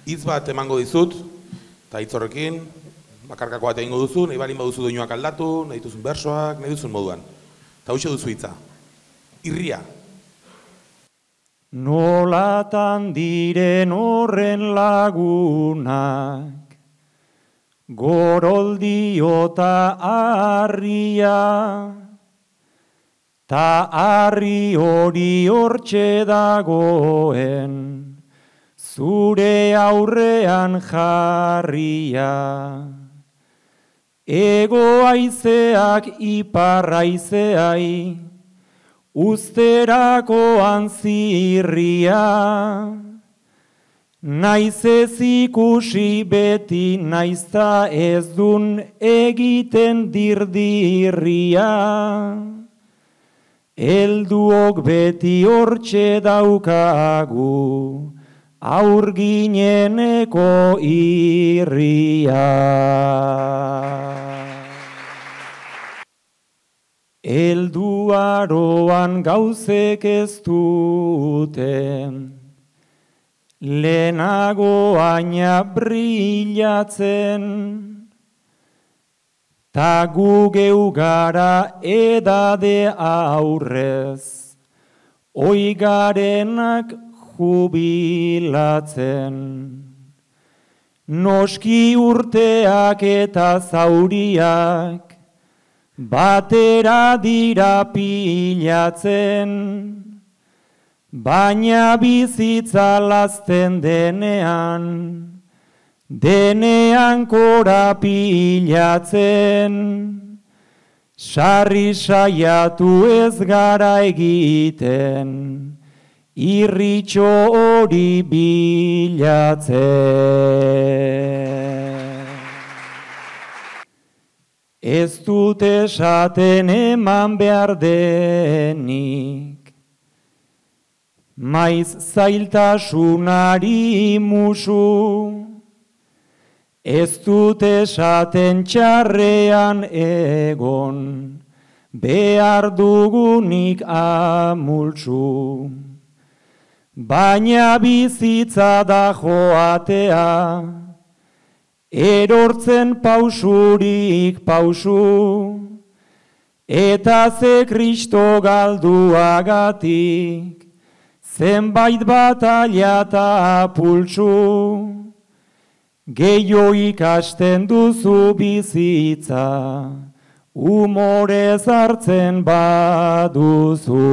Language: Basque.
Hitz bat emango dizut, eta hitz horrekin, bakarkako bat egingo duzu, nahi balin baduzu doinuak aldatu, nahi duzun bersoak, nahi duzun moduan. Eta hoxe duzu hitza. Irria. Nolatan diren horren lagunak, goroldio ta harria, ta harri hori hortxe dagoen, zure aurrean jarria. Ego haizeak ipar haizeai, uzterakoan zirria. Naiz ez ikusi beti, naizta ez dun egiten dirdirria. Helduok beti hortxe daukagu, aurgineneko irria. Helduaroan gauzek ez duten, lehenago aina brillatzen, ta gu geu gara edade aurrez, oigarenak jubilatzen. Noski urteak eta zauriak, batera dira pilatzen, baina bizitza lazten denean, denean korapilatzen. Sarri saiatu ez gara egiten, irritxo hori bilatzen. Ez dut esaten eman behar denik, maiz zailtasunari musu. Ez dut esaten txarrean egon, behar dugunik amultsu. Baina bizitza da joatea, erortzen pausurik pausu, eta ze Kristo galduagatik, zenbait bataila eta pultsu. Gehiago ikasten duzu bizitza, umorez hartzen baduzu.